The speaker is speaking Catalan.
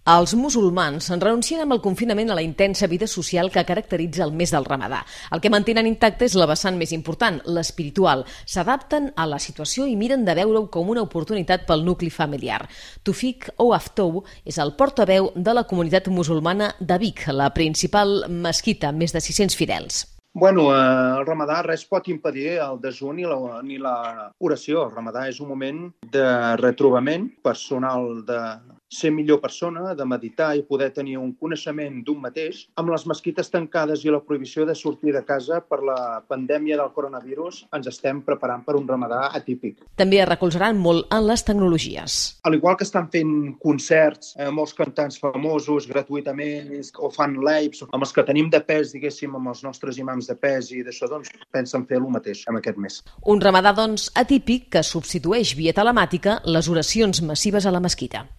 Els musulmans renuncien amb el confinament a la intensa vida social que caracteritza el mes del Ramadà. El que mantenen intacte és la vessant més important, l'espiritual. S'adapten a la situació i miren de veure-ho com una oportunitat pel nucli familiar. Tufik Ouaftou és el portaveu de la comunitat musulmana de Vic, la principal mesquita amb més de 600 fidels. El Ramadà res pot impedir el dejú ni l'oració. El Ramadà és un moment de retrobament personal, de ser millor persona, de meditar i poder tenir un coneixement d'un mateix. Amb les mesquites tancades i la prohibició de sortir de casa per la pandèmia del coronavirus, ens estem preparant per un Ramadà atípic. També es recolzaran molt en les tecnologies. Al igual que estan fent concerts, molts cantants famosos gratuïtament, o fan lives, amb els que tenim de pes, diguéssim, amb els nostres imams de pes i d'això, doncs pensen fer el mateix en aquest mes. Un Ramadà, doncs, atípic que substitueix via telemàtica les oracions massives a la mesquita.